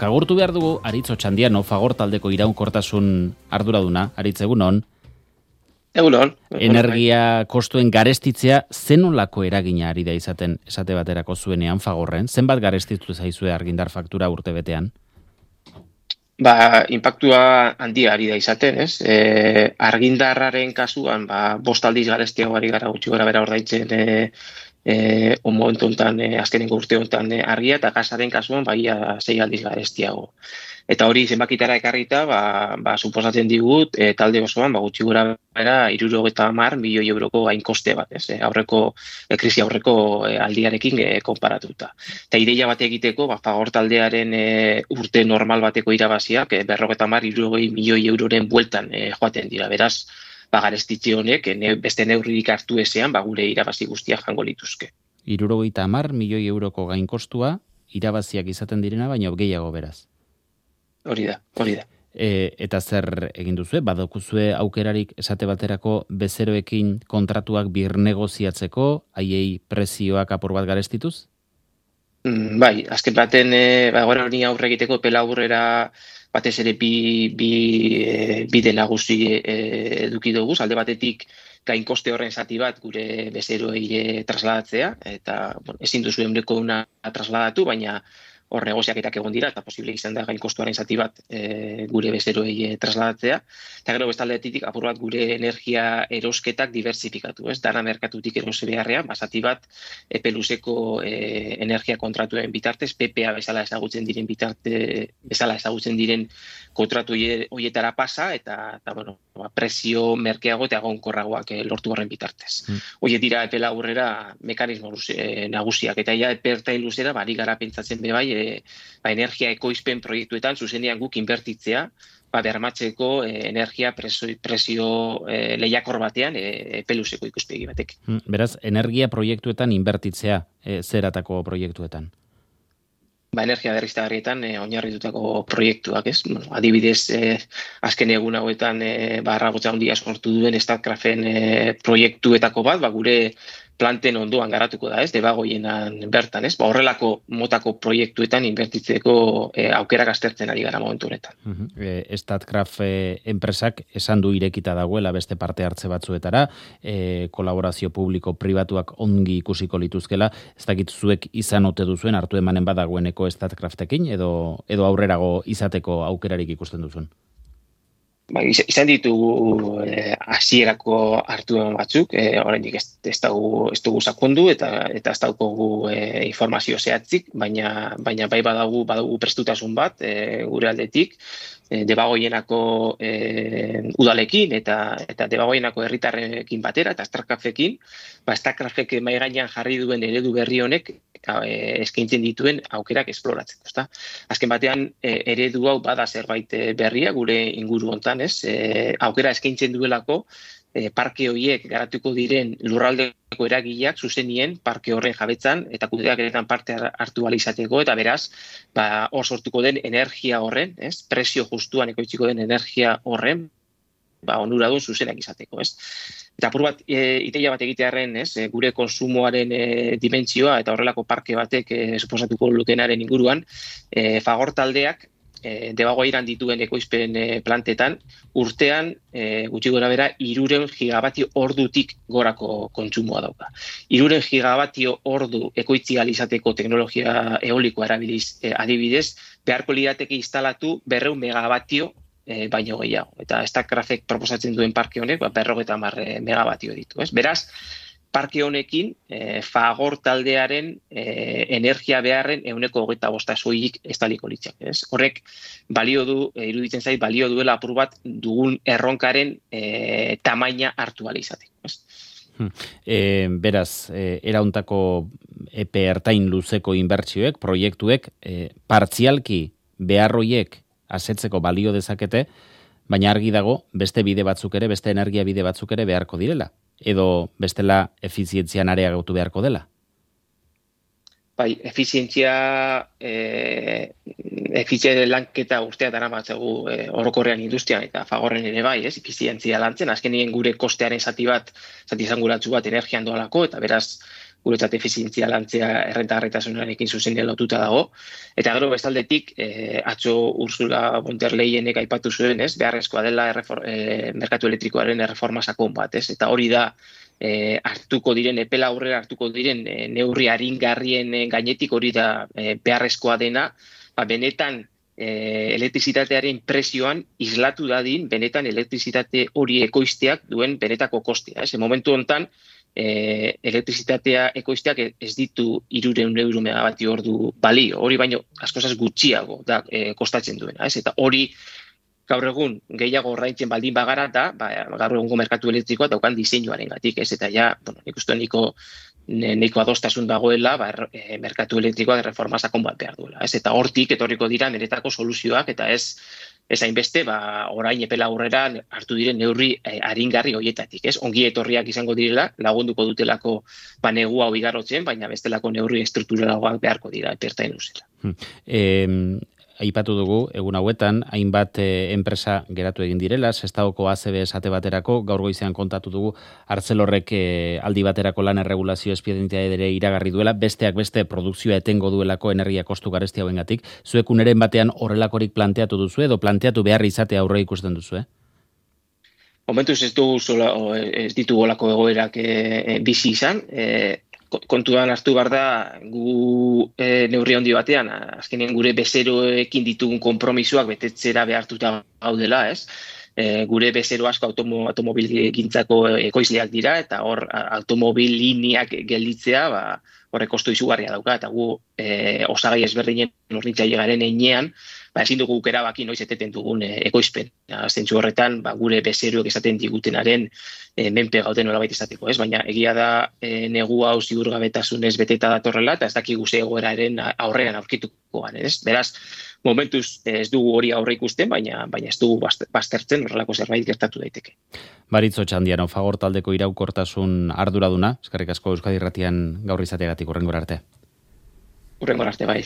Kagurtu behar dugu Aritz Otxandiano, Fagor taldeko iraunkortasun arduraduna, Aritz, egunon. Egunon. Energia kostuen garestitzea zenolako eragina ari da izaten esate baterako zuenean Fagorren? Zenbat garestitu zaizue argindar faktura urte betean? Inpaktua handia ari da izaten, ez? Argindarraren kasuan, 5 aldiz garestiago ari gara gutxi gora bera ordaintzen momentu honetan, azkenengo urte honetan argia, eta gasaren kasuan ia 6 aldiz garestiago. Eta hori zenbakitara ekarrita, suposatzen digut, talde osoan, gutxi gora bera 70 milioi euroko gainkoste bat, ez? Krisi aurreko aldiarekin konparatuta. Eta ideia bat egiteko, Fagor taldearen urte normal bateko irabaziak, 50-60 milioi euroren bueltan joaten dira. Beraz, garestitze honek, beste neurririk hartu ezean, gure irabazi guztiak jango lituzke. 70 milioi euroko gainkostua, irabaziak izaten direna, baina gehiago beraz. Hori da. Eta zer egin duzue? Badokuzue aukerarik esate baterako bezeroekin kontratuak birnegoziatzeko, haiei prezioak apur bat garestituz? Azken baten, gora hori aurre egiteko pela aurrera batez ere bide nagusi eduki dugu, alde batetik gainkoste horren zati bat gure bezeroei trasladatzea, eta ezin duzu ehuneko 100 trasladatu, baina hor negoziaketak egon dira, eta posible izan da gainkostuaren zati bat gure bezeroei trasladatzea. Eta gero bestaldetik apur bat gure energia erosketak diversifikatu, ez? Dana merkatutik erose beharrean, zati bat epe luzeko energia kontratuen bitartez, PPA bezala ezagutzen diren kontratu horietara pasa, eta prezio merkeago eta egonkorragoak lortu horren bitartez. Horiek dira epe laburrera mekanismo nagusiak, eta epe ertain luzera, ari gara pentsatzen bebai, energia ekoizpen proiektuetan zuzenean guk inbertitzea, bermatzeko energia prezio lehiakor batean peluzeko ikuspegi batek. Beraz, energia proiektuetan inbertitzea, zeratako proiektuetan? Energia berriztagarrietan oinarritutako proiektuak, ez? Adibidez, azken egun hauetan arragotza handia sortu duen Statkraften proiektuetako bat, gure planten ondoan garatuko da, ez? Debagoienan bertan, ez? Horrelako motako proiektuetan inbertitzeko aukerak aztertzen ari gara momentu honetan. Statkraft enpresak esan du irekita dagoela beste parte hartze batzuetara, kolaborazio publiko-pribatuak ongi ikusiko lituzkela, ez dakit zuek izan ote duzuen, hartu emanen badagoeneko Statkraftekin, edo aurrerago izateko aukerarik ikusten duzuen? Izan ditugu hasierako hartu batzuk, oraindik ez dugu sakondu eta ez daukagu informazio zehatzik, baina bai badugu prestutasun bat gure aldetik, Debagoienako udalekin eta Debagoienako herritarrekin batera eta Statkraftekin, Statkraftek mahai gainean jarri duen eredu berri honek eskaintzen dituen aukerak esploratzeko. Azken batean eredu hau bada zerbait berria gure inguru hontan, ez? Aukera eskaintzen duelako parke horiek garatuko diren lurraldeko eragileak zuzenien parke horren jabetzan eta kudeaketan parte hartu ahal izateko, eta beraz, hor sortuko den energia horren, ez? Prezio justuan ekoitziko den energia horren, onuradun zuzenak izateko, ez? Eta apur bat, ideia bat egitearren, ez? Gure konsumoaren dimentsioa eta horrelako parke batek suposatuko lukenaren inguruan, Fagor taldeak Debagoieran dituen ekoizpen plantetan, urtean gutxi gora bera 300 gigabatio ordutik gorako kontsumoa dauka. 300 gigabatio ordu ekoitzi ahal izateko teknologia eolikoa erabiliz adibidez, beharko lirateke instalatu 200 megabatio baino gehiago. Eta Statkraftek proposatzen duen parke honek 50 megabatio ditu. Beraz, parke honekin, Fagor taldearen energia beharren 25% soilik estaliko litzak. Horrek iruditzen zait, balio duela apur bat dugun erronkaren tamaina hartu ahal izateko. Beraz, erauntako epe ertain luzeko inbertsioek, proiektuek, partzialki beharroiek asetzeko balio dezakete, baina argi dago beste bide batzuk ere, beste energia bide batzuk ere beharko direla. Edo bestela efizientzian areagotu beharko dela? Efizientzia lanketa urtea daramatzagu orokorrean industrian eta Fagorren ere bai, ez? Efizientzia lantzen, azkenien gure kostearen zati izanguratsu bat energian doalako, eta beraz guretzat efizientzia lantzea errentagarritasunarekin zuzenean lotuta dago. Eta gero bestaldetik, atzo Ursula von der Leyenek aipatu zuen, ez, beharrezkoa dela merkatu elektrikoaren erreforma sakon bat, ez? Eta hori da hartuko diren, epela aurrera hartuko diren neurri aringarrien gainetik hori da beharrezkoa dena, benetan elektrizitatearen prezioan islatu dadin, benetan elektrizitate hori ekoizteak duen benetako kostea. Momentu honetan, elektrizitatea ekoizteak ez ditu 300 euro megabati ordu balio, hori baino askozaz gutxiago da kostatzen duena. Eta hori gaur egun gehiago ordaintzen baldin bagara da, gaur egungo merkatu elektrikoa daukan diseinuarengatik, eta ja, nik uste nahiko adostasun dagoela, merkatu elektrikoa reforma sakon bat behar duela. Eta hortik etorriko dira niretako soluzioak, eta ez hainbeste, orain epela aurrera hartu diren neurri aringarri horietatik. Ongi etorriak izango direla, lagunduko dutelako negua hau igarotzen, baina bestelako neurri estrukturalagoak beharko dira, epertain luzela. Aipatu dugu, egun hauetan, hainbat enpresa geratu egin direla, Sestaoko ACB esate baterako, gaur goizean kontatu dugu, Arcelorrek aldi baterako lan erregulazio espedientea ere iragarri duela, besteak beste produkzioa etengo duelako energia kostu garesti hauengatik. Zuek uneren batean horrelakorik planteatu duzu edo planteatu behar izatea aurre ikusten duzu, Momentuz ez ditugu olako egoerak bizi izan, kontuan hartu behar da gu neurri handi batean, azkenean gure bezeroekin ditugun konpromisoak betetzera behartuta gaudela, ez? Gure bezero asko automobilgintzako ekoizleak dira, eta hor automobil lineak gelditzea, horrek kostu izugarria dauka, eta gu osagai ezberdinen hornitzaile garen einean, ezin dugu erabaki noiz eteten dugun ekoizpen. Zentzu horretan, gure bezeroek esaten digutenaren menpe gauden nolabait izateko, ez? Baina egia da negu hau ziurgabetasunez beteta datorrela, eta ez dakigu ze egoeraren aurrean aurkituko garen, ez? Beraz, momentuz ez dugu hori aurre ikusten, baina ez dugu baztertzen horrelako zerbait gertatu daiteke. Baritzo Txandiano, Fagor taldeko iraukortasun arduraduna, eskerrik asko Euskadi Irratian gaur izateagatik, hurrengora arte. Hurrengora arte, bai.